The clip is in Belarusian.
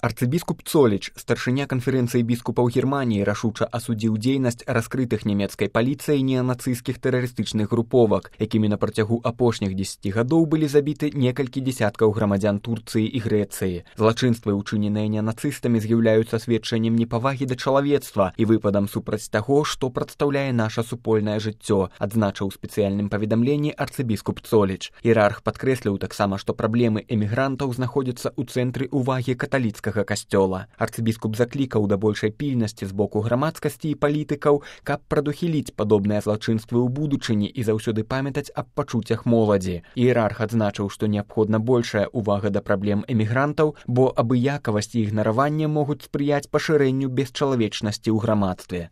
Арцыбіскуп Цоліч, старшыня канферэнцыі біскупаў Германіі, рашуча асудзіў дзейнасць раскрытых нямецкай паліцыяй неанацысцкіх тэрарыстычных груповак, якімі на працягу апошніх 10 гадоў былі забіты некалькі дзесяткаў грамадзян Турцыі і Грэцыі. Злачынствы, учыненыя неанацыстамі, з'яўляюцца сведчаннем непавагі да чалавецтва і выпадам супраць таго, што прадстаўляе наша супольнае жыццё, адзначыў у спецыяльным паведамленні арцыбіскуп Цоліч. Іерарх падкрэсліў таксама, што праблемы эмігрантаў знаходзяцца ў цэнтры ўвагі каталіцкага касцёла. Арцыбіскуп заклікаў да большай пільнасці з боку грамадскасці і палітыкаў, каб прадухіліць падобныя злачынствы ў будучыні і заўсёды памятаць аб пачуццях моладзі. Іерарх адзначыў, што неабходна большая ўвага да праблем эмігрантаў, бо абыякавасць і ігнараванне могуць спрыяць пашырэнню бесчалавечнасці ў грамадстве.